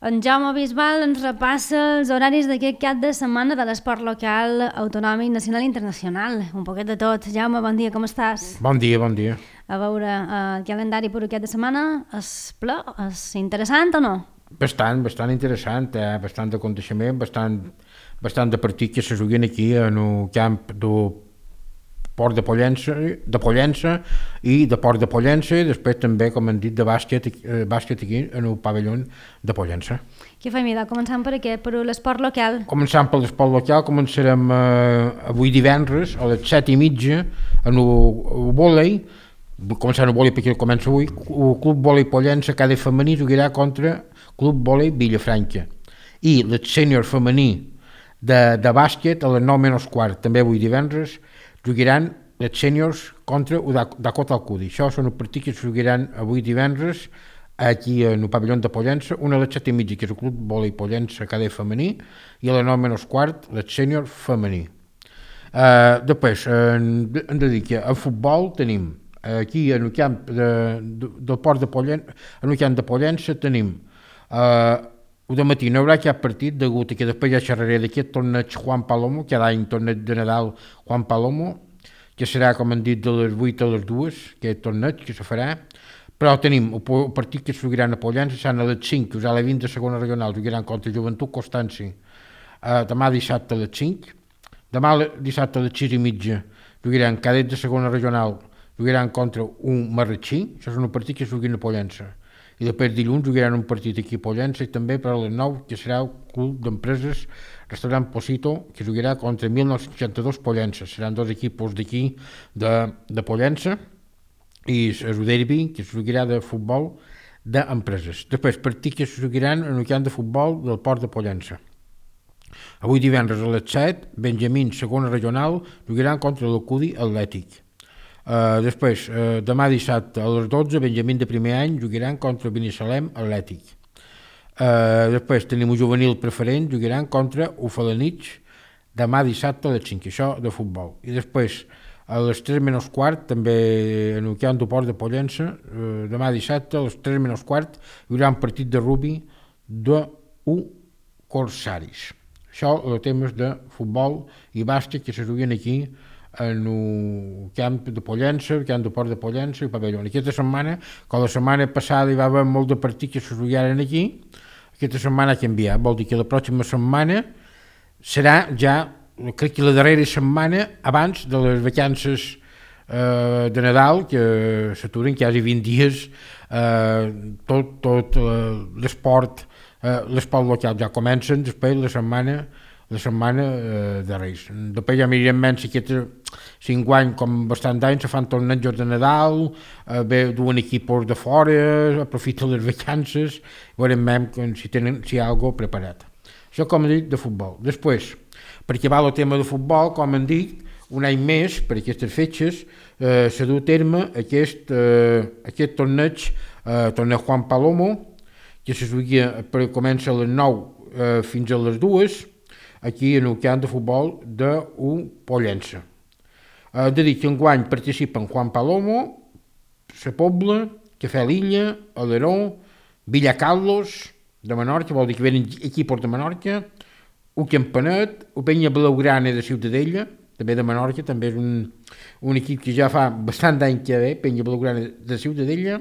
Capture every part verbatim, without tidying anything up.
En Jaume Bisbal ens repassa els horaris d'aquest cap de setmana de l'esport local, autonòmic, nacional i internacional. Un poquet de tot. Jaume, bon dia, com estàs? Bon dia, bon dia. A veure, eh, el calendari per aquest de setmana és ple, és interessant o no? Bastant, bastant interessant, eh? Bastant de aconteixement, bastant, bastant de partits que se juguen aquí en el camp del Port de Pollença, de Pollença i de Port de Pollença, i després també, com hem dit, de bàsquet, eh, bàsquet aquí en el pavelló de Pollença. Què fem, idò? Començant per aquest, per l'esport local. Començant per l'esport local, començarem eh, avui divendres a les set i mitja en el, el vòlei, començant el vòlei perquè comença avui, el Club Vòlei Pollença cada femení jugarà contra Club Vòlei Vilafranca, i el sènior femení de, de bàsquet a les nou menys quart, també avui divendres, jugaran els sèniors contra el Dakota Alcudi. Això són els partits que es jugaran avui divendres aquí en el pavelló de Pollença, una a les set i mitja, que és el Club Vòlei Pollença cadè femení, i a les nou menys quart, el sènior femení. Uh, després, en, en dedica a futbol, tenim aquí en el camp de, de, del Port de Pollença, en el camp de Pollença tenim uh, el de matí no hi haurà cap partit degut a que després ja xerraré d'aquest torneig Juan Palomo, cada any torneig de Nadal Juan Palomo, que serà, com han dit, de les vuit a les dues, aquest torneig que se farà, però tenim el partit que es jugaran a Pollença, seran a les cinc, que us a les vint de segona regional, jugaran contra Joventut Constanci, uh, demà dissabte a les cinc, demà dissabte a les sis i mitja, jugaran cadets de segona regional, jugaran contra un Marratxí, això és un partit que es juguen a Pollença. I després dilluns jugaran un partit aquí a Pollença i també per a les nou, que serà el Club d'Empreses Restaurant Posito, que jugarà contra mil nou-cents seixanta-dos Pollença. Seran dos equipos d'aquí de, de Pollença, i el derbi, que es jugarà de futbol d'empreses. Després partits que es jugaran en el camp de futbol del Port de Pollença. Avui divendres a les set, Benjamín, segona regional, jugaran contra l'Alcudi Atlètic. Uh, després, uh, demà dissabte a les dotze, Benjamín de primer any jugaran contra Binissalem Atlètic. Uh, després tenim un juvenil preferent, jugaran contra Ufalanich demà dissabte a les cinc, això de futbol. I després, a les tres menys quart, també en el camp del Port de Pollença, uh, demà dissabte a les tres menys quart hi haurà un partit de rugby d'U Corsaris. Això, els temes de futbol i bàsquet que se juguen aquí en el camp de Pollença, el camp del Port de Pollença i el pavelló. Aquesta setmana, com la setmana passada hi va haver molt de partits que se jugaren aquí, aquesta setmana ha canviat. Vol dir que la pròxima setmana serà ja, crec que la darrera setmana abans de les vacances eh, de Nadal, que s'aturen quasi vint dies, eh, tot, tot eh, l'esport, eh, l'esport local ja comencen, després la setmana la setmana eh, de Reis. Després ja mirarem menys si aquest cinc anys, com bastant d'anys, se fan tornejos de Nadal, eh, ve duen equipos de fora, aprofiten les vacances, veurem si, tenen, si hi ha alguna cosa preparat. Això, com he dit, de futbol. Després, per acabar el tema de futbol, com hem dit, un any més, per aquestes fetges, eh, s'ha dut a terme aquest, eh, aquest torneig, eh, torneig Juan Palomo, que se juga, però comença a les nou eh, fins a les dues, aquí en el camp de futbol d'un Pollença. Eh, de dir que enguany participen Juan Palomo, Sa Pobla, Cafè Lilla, Aleró, Villacarlos, de Menorca, vol dir que venen equipos de Menorca, un Campanet, un Penya Blaugrana de Ciutadella, també de Menorca, també és un, un equip que ja fa bastant d'any que ve, Penya Blaugrana de Ciutadella,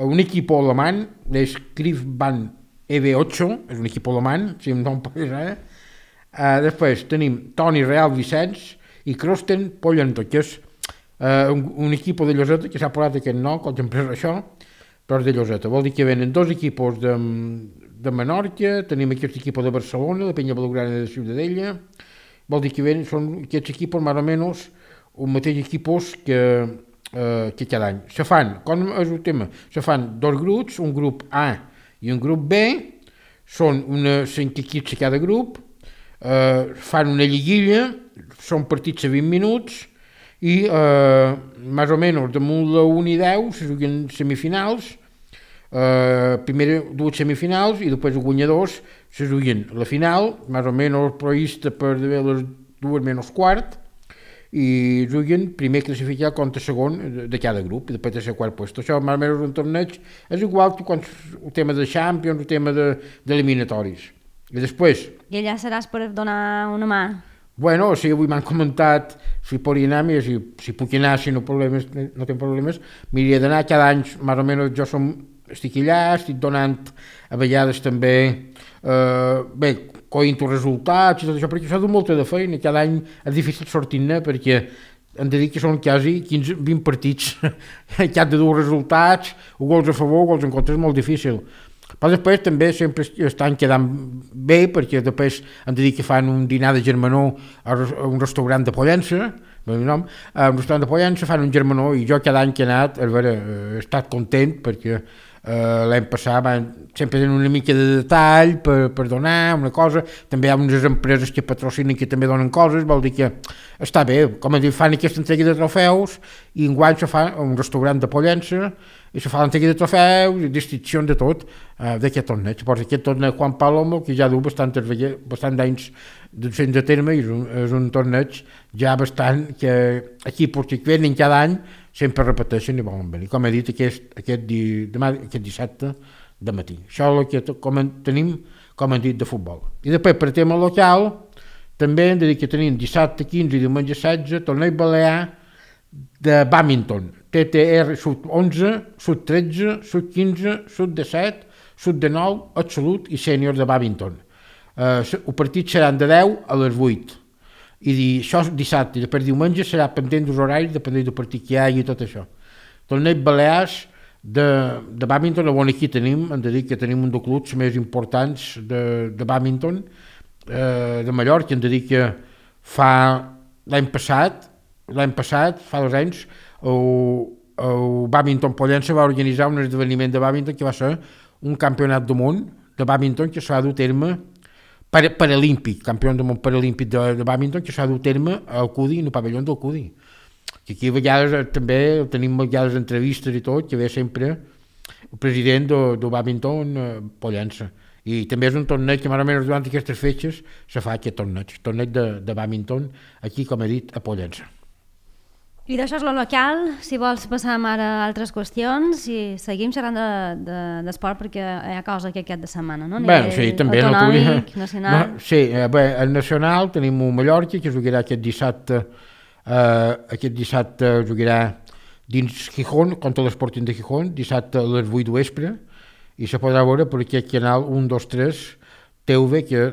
un equip alemany, és Griffbahn E V ocho, és un equip alemany, si em no em posa ara. Uh, després tenim Toni Real Vicenç i Krosten Pollento, que és uh, un, un equip de Lloseta, que s'ha posat aquest nom, com sempre és això, però és de Lloseta. Vol dir que venen dos equipos de, de Menorca, tenim aquest equip de Barcelona, de Penya Blaugrana de Ciutadella, vol dir que venen, són aquests equipos més o menys un mateix equipos que, uh, que cada any. Se fan, com és el tema, se fan dos grups, un grup A i un grup B, són una cinc equips a cada grup, Uh, fan una lliguilla, són partits a vint minuts i uh, més o menys damunt la un i deu se juguen semifinals, uh, primer dues semifinals i després els guanyadors se juguen la final, més o menys prevista per les dues menys quart, i juguen primer classificat contra segon de cada grup, i després de ser quart lloc. Això, més o menys, un torneig és igual que quan el tema de Champions, el tema d'eliminatoris. De, I després... I allà seràs per donar una mà? Bueno, sí, avui m'han comentat si podria anar, mira, si, si puc anar, si no, problemes, no tinc problemes, m'hauria d'anar cada any, més o menys jo som, estic allà, estic donant a vegades també, eh, bé, coint els resultats i tot això, perquè això du molta de feina, cada any és difícil sortir-ne perquè hem de dir que són quasi quinze vint partits que han de dur resultats, gols a favor, gols en contra, és molt difícil. Però després també sempre estan quedant bé perquè després han de dir que fan un dinar de germanor a un restaurant de Pollença, nom, a un restaurant de Pollença fan un germanor i jo cada any que he anat, a veure, he estat content perquè eh, l'any passat van, sempre tenen una mica de detall per, per donar una cosa, també hi ha unes empreses que patrocinen que també donen coses, vol dir que està bé, com a dir, fan aquesta entrega de trofeus i enguany se fa un restaurant de Pollença i se fa l'entrega de trofeus i distincions de tot uh, d'aquest torneig. Llavors aquest torneig Juan Palomo, que ja du bastant, bastant d'anys fent de terme, és un, és un torneig ja bastant que equips que venen cada any sempre repeteixen i volen venir. Com he dit, aquest, aquest, di, demà, aquest dissabte de matí. Això és el que com tenim, com hem dit, de futbol. I després, per tema local, també hem de dir que tenim dissabte quinze i diumenge setze, torneig balear de badminton. T T R sud onze, sud tretze, sud quinze, sud disset, sud dinou, absolut i sènior de badminton. Uh, el partit seran de deu a les vuit. I di, això dissabte i després diumenge serà pendent dels horaris, depenent del partit que hi ha i tot això. Torneig balears de, de badminton, on aquí tenim, hem de dir que tenim un dels clubs més importants de, de badminton eh, de Mallorca, hem de dir que fa l'any passat, l'any passat, fa dos anys, el, el Badminton Pollença va organitzar un esdeveniment de badminton que va ser un campionat del món de badminton que s'ha dut a terme per, paralímpic, campió del món paralímpic de, de badminton que s'ha dut a terme al Cudi, en el pavelló del Cudi. Que aquí a vegades també tenim a vegades entrevistes i tot, que ve sempre el president del de badminton eh, Pollença. I també és un torneig que més o menys durant aquestes fetges se fa aquest torneig, torneig de, de badminton aquí, com he dit, a Pollença. I d'això és lo local, si vols passar ara a altres qüestions i seguim xerrant d'esport de, perquè hi ha cosa que aquest de setmana, no? Bé, sí, també autonòmic, no, nacional... No, sí, eh, bé, el nacional tenim un Mallorca que jugarà aquest dissabte, eh, aquest dissabte jugarà dins Gijón, contra l'Sporting de Gijón, dissabte a les vuit de vespre, i se podrà veure per aquest canal un, dos, tres T V que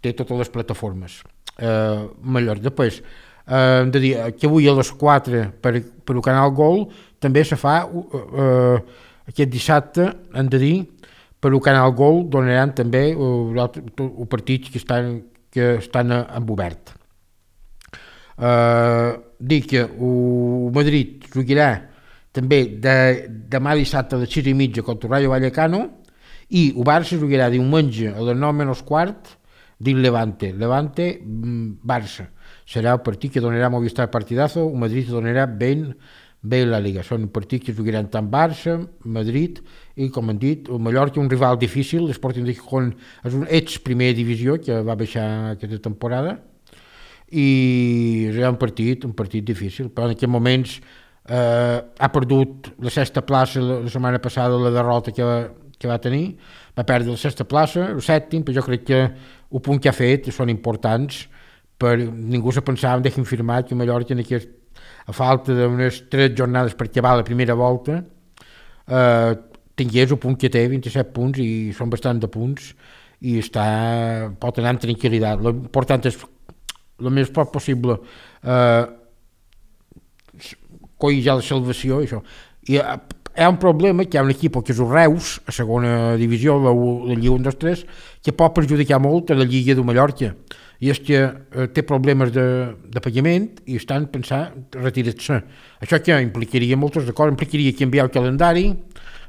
té totes les plataformes. Eh, Mallorca, després... Uh, de dir que avui a les quatre per, per el canal Gol també se fa uh, uh, aquest dissabte, hem de dir, per el canal Gol donaran també els partits que estan, que estan en obert. Uh, dir que el Madrid jugarà també de, demà dissabte a les sis i mitja contra el Rayo Vallecano i el Barça jugarà diumenge a les nou menys quart dins Levante, Levante Barça. Serà el partit que donarà Movistar Partidazo, el Madrid donarà ben bé la Liga. Són partits que jugaran tant Barça, Madrid i, com hem dit, el Mallorca, un rival difícil, l'Sporting de Gijón és un ex primera divisió que va baixar aquesta temporada i serà un partit, un partit difícil, però en aquests moments eh, ha perdut la sexta plaça la, la setmana passada, la derrota que va, que va tenir, va perdre la sexta plaça, el sèptim, però jo crec que el punt que ha fet són importants. Per, ningú se pensava, deixem firmar que Mallorca en aquest, a falta d'unes tres jornades per acabar la primera volta eh, tingués el punt que té, vint-i-set punts, i són bastant de punts i està, pot anar amb tranquil·litat. L'important és el més poc possible eh, coll ja la salvació i això. I eh, hi ha un problema que hi ha un equip que és el Reus, a segona divisió, la, la Lliga un dos tres, que pot perjudicar molt a la Lliga de Mallorca, i és que eh, té problemes de, de pagament i estan pensant retirar-se. Això que implicaria moltes coses, implicaria canviar el calendari,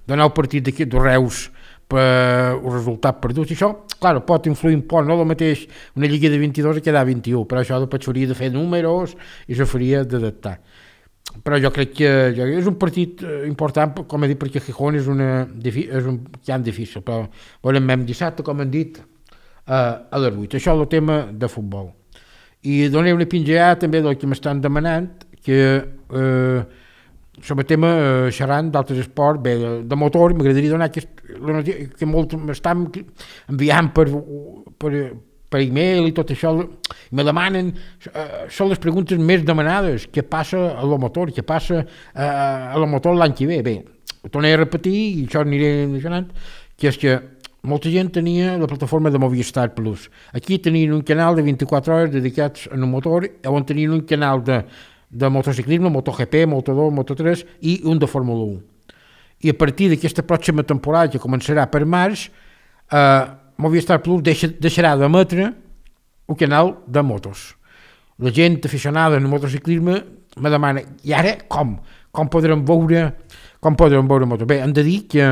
donar el partit d'aquí de Reus per el resultat perdut, i això, clar, pot influir un poc, no el mateix una lliga de vint-i-dos a quedar vint-i-u, però això després s'hauria de fer números i se faria d'adaptar. Però jo crec que és un partit important, com he dit, perquè Gijón és, una, és un camp difícil, però veurem dissabte, com hem dit, a les vuit. Això és el tema de futbol. i donaré una pinzellada també del que m'estan demanant, que eh, sobre el tema eh, xerrant d'altres esports, bé, de, de motor, m'agradaria donar aquest, que molt m'estan enviant per, per, per e-mail i tot això, i me demanen, eh, són les preguntes més demanades, què passa a la motor, què passa eh, a la motor l'any que ve. Bé, ho tornaré a repetir, i això aniré mencionant, que és que molta gent tenia la plataforma de Movistar Plus. Aquí tenien un canal de vint-i-quatre hores dedicats a un motor, on tenien un canal de, de motociclisme, MotoGP, Moto dos, Moto tres i un de Fórmula un. I a partir d'aquesta pròxima temporada, que començarà per març, eh, Movistar Plus deixa, deixarà d'emetre un canal de motos. La gent aficionada al motociclisme me demana, i ara com? Com podrem veure, com podrem veure motos? Bé, hem de dir que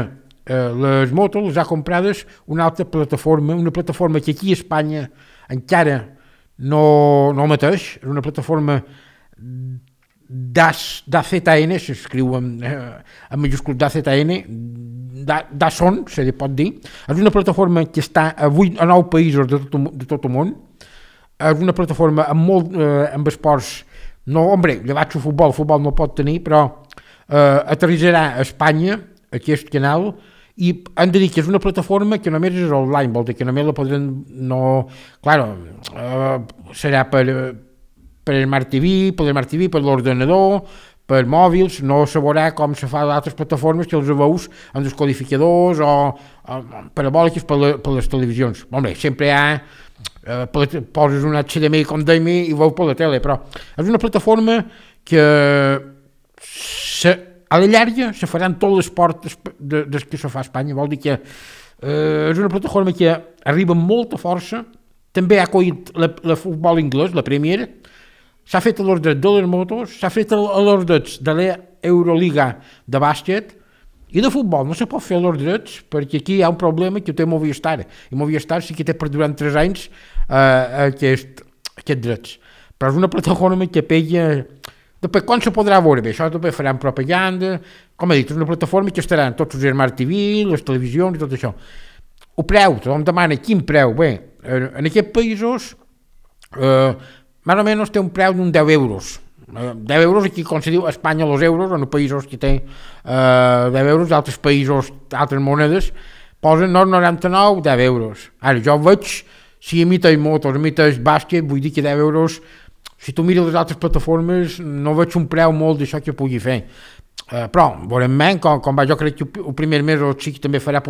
Uh, les motos les ha comprades una altra plataforma, una plataforma que aquí a Espanya encara no, no mateix, és una plataforma d'A Z N, s'escriu en, uh, en majúscul d'A Z N, d'Azon, se li pot dir. És una plataforma que està a, vuit, a nou països de tot, de tot el món. És una plataforma amb, molt, uh, amb esports, no, hombre, llevat el futbol, el futbol no pot tenir, però uh, aterrissarà a Espanya aquest canal, i hem de dir que és una plataforma que només és online, vol dir que només la podrem, no, claro, eh, serà per, per Smart T V, per Smart T V, per l'ordenador, per mòbils, no se veurà com se fa d'altres plataformes que els veus en els codificadors o, o parabòliques per, la, per les televisions. Home, sempre hi ha, eh, poses un H D M I com dèiem i veus per la tele, però és una plataforma que se a la llarga se faran tot l'esport de, de que se fa a Espanya, vol dir que eh, és una plataforma que arriba amb molta força, també ha acollit la, la futbol anglès, la Premier, s'ha fet a els drets de les motos, s'ha fet a els drets de l'Euroliga de bàsquet, i de futbol no se pot fer a els drets, perquè aquí hi ha un problema que ho té Movistar, i Movistar sí que té per durant tres anys eh, aquest, aquests drets. Però és una plataforma que pega. Després, quan se podrà veure? Bé, això també faran propaganda, com he dit, és una plataforma que estaran tots els Smart T V, les televisions i tot això. El preu, tothom demana quin preu? Bé, en aquests països, eh, més o menys té un preu d'un deu euros. Eh, deu euros, aquí com se diu a Espanya els euros, en els països que té eh, deu euros, d'altres països, d'altres monedes, posen noranta-nou, deu euros. Ara, jo veig, si imiteix motos, imiteix bàsquet, vull dir que deu euros. Si tu mires les altres plataformes, no veig un preu molt d'això que pugui fer. Uh, però, veurem men, com, com va, jo crec que el primer mes o sí que també farà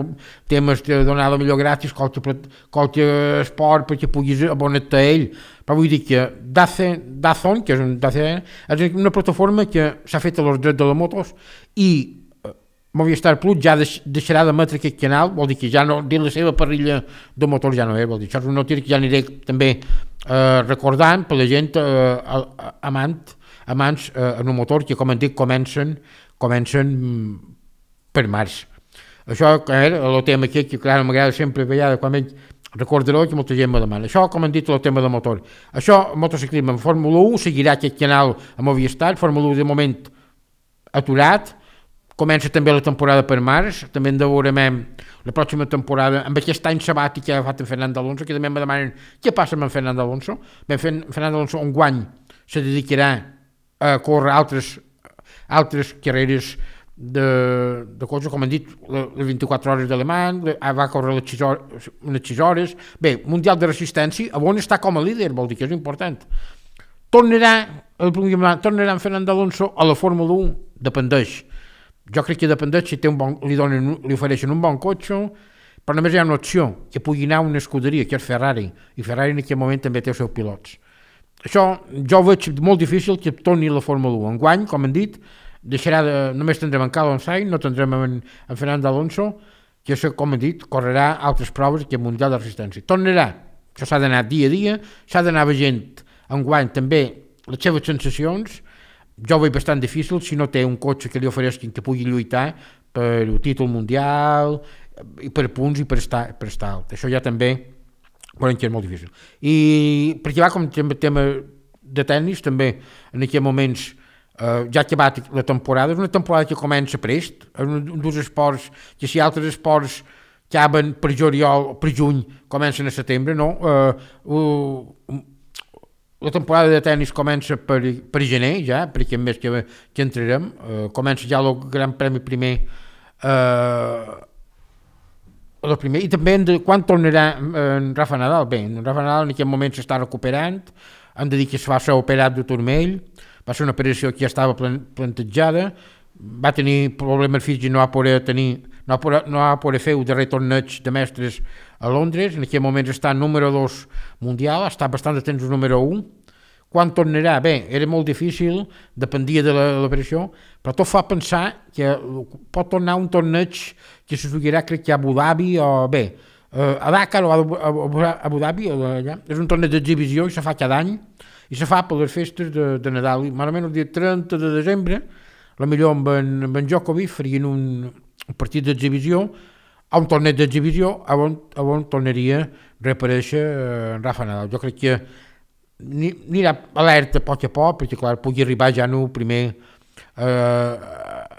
temes de donar la millor gràcies, qualque, qualque esport perquè puguis abonar-te a ell. Però vull dir que Dazon, que és, un, és una plataforma que s'ha fet a els drets de les motos i uh, Movistar Plus ja deix, deixarà d'emetre aquest canal, vol dir que ja no, dins la seva parrilla de motors ja no és, vol dir, això és una notícia que ja aniré també Uh, recordant per la gent uh, amant, amants uh, en un motor que, com hem dit, comencen, comencen per març. Això era el tema aquí, que clar, m'agrada sempre vegada, quan veig, recordaré que molta gent me demana. Això, com hem dit, el tema de motor. Això, motociclisme en Fórmula un, seguirà aquest canal a Movistar, Fórmula un de moment aturat, comença també la temporada per març, també en veurem la pròxima temporada, amb aquest any sabàtic que ha agafat en Fernando Alonso, que també em demanen què passa amb en Fernando Alonso. Ben, Fernando Alonso un guany se dedicarà a córrer altres, altres carreres de, de coses, com han dit, les vint-i-quatre hores d'alemany, va córrer les sis hores, unes sis hores. Bé, Mundial de Resistència, on està com a líder, vol dir que és important. Tornarà, el tornarà en Fernando Alonso a la Fórmula un, dependeix. Jo crec que dependeix si té un bon, li, donen, li ofereixen un bon cotxe, però només hi ha una opció, que pugui anar a una escuderia, que és Ferrari, i Ferrari en aquest moment també té els seus pilots. Això jo ho veig molt difícil que torni a la Fórmula un. Enguany, com hem dit, deixarà de, només tindrem en Carlos Sainz, no tindrem en, en Fernando Alonso, que això, com hem dit, correrà altres proves que el Mundial de Resistència. Tornarà, això s'ha d'anar dia a dia, s'ha d'anar veient enguany també les seves sensacions. Jo ho veig bastant difícil si no té un cotxe que li ofereixin que pugui lluitar per el títol mundial i per punts i per estar, per estar alt. Això ja també veurem que és molt difícil. I perquè va com tema, tema de tennis també en aquests moments eh, ja ha acabat la temporada, és una temporada que comença prest, és un dels esports que si altres esports acaben per juliol, per juny, comencen a setembre, no? Eh, uh, la temporada de tennis comença per, per gener ja, per aquest mes que, que entrarem, uh, comença ja el Gran Premi primer, uh, el primer, i també de, quan tornarà en Rafa Nadal. Bé, en Rafa Nadal en aquest moment s'està recuperant, hem de dir que es va ser operat de turmell, va ser una operació que ja estava plantejada, va tenir problemes físics i no va poder tenir, no va poder, no va poder fer el darrer torneig de mestres a Londres. En aquest moment està número dos mundial, està bastant de temps el número un. Quan tornarà? Bé, era molt difícil, dependia de l'operació, però tot fa pensar que pot tornar un torneig que se jugarà, crec que a Abu Dhabi o bé, a Dakar o a Abu Dhabi, allà. És un torneig d'exhibició i se fa cada any i se fa per les festes de, de Nadal. I malament el dia trenta de desembre, potser amb en, amb en Djokovic farien un, un partit d'exhibició, a un torneig d'exhibició on, on tornaria a reaparèixer en Rafa Nadal. Jo crec que anirà alerta a poc a poc, perquè clar, pugui arribar ja en el primer, eh,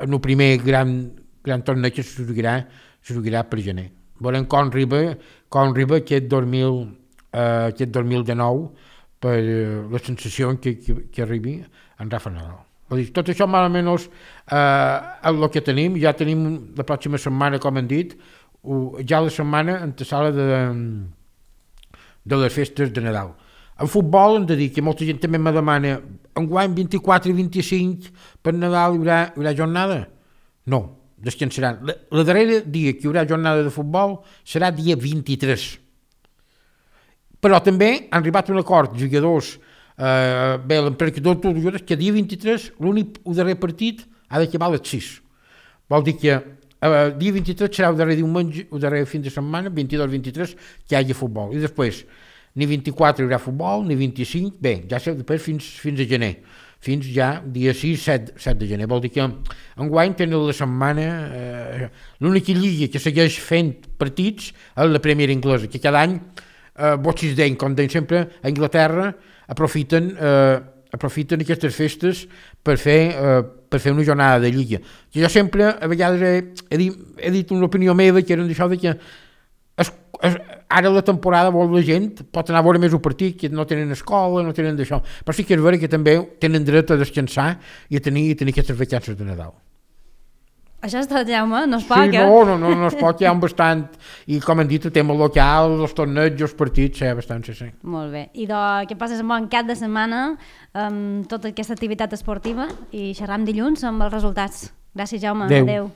en el primer gran, gran torneig que se jugarà, se jugarà per gener. Veurem com arriba, com arriba aquest, dos mil, eh, aquest dos mil dinou per eh, la sensació que, que, que arribi en Rafa Nadal. Tot això més o menys eh, és el que tenim. Ja tenim la pròxima setmana, com hem dit, ja la setmana antesala de, de les festes de Nadal. En futbol hem de dir que molta gent també me demana enguany vint-i-quatre i vint-i-cinc per Nadal hi haurà, hi haurà jornada? No, descansaran. La, la darrera dia que hi haurà jornada de futbol serà dia vint-i-tres. Però també han arribat a un acord, jugadors, Uh, bé, l'emperador de jugadors, que dia vint-i-tres l'únic el darrer partit ha d'acabar a les sis. Vol dir que uh, dia vint-i-tres serà el darrer diumenge, el darrer fin de setmana, vint-i-dos vint-i-tres, que hi hagi futbol. I després, ni vint-i-quatre hi haurà futbol, ni vint-i-cinc, bé, ja sé, després fins, fins a gener, fins ja dia sis set de gener. Vol dir que enguany tenen la setmana, uh, l'única lliga que segueix fent partits és la Premier Inglesa, que cada any, uh, Watches Day, com deien sempre, a Anglaterra, aprofiten, eh, aprofiten aquestes festes per fer, eh, per fer una jornada de lliga. Jo sempre, a vegades, he, he, dit, he dit una opinió meva, que era d'això de que es, es, ara la temporada vol la gent, pot anar a veure més un partit, que no tenen escola, no tenen d'això, però sí que és vera que també tenen dret a descansar i a tenir, a tenir aquestes vacances de Nadal. Això és tot, Jaume, no es pot, sí, eh? No, no, no, no es pot, hi ha un bastant, i com hem dit, el tema local, els torneigs, els partits, hi ha bastant, sí, sí. Molt bé, i de, que passes un bon cap de setmana amb tota aquesta activitat esportiva i xerram dilluns amb els resultats. Gràcies, Jaume, adéu. Adéu.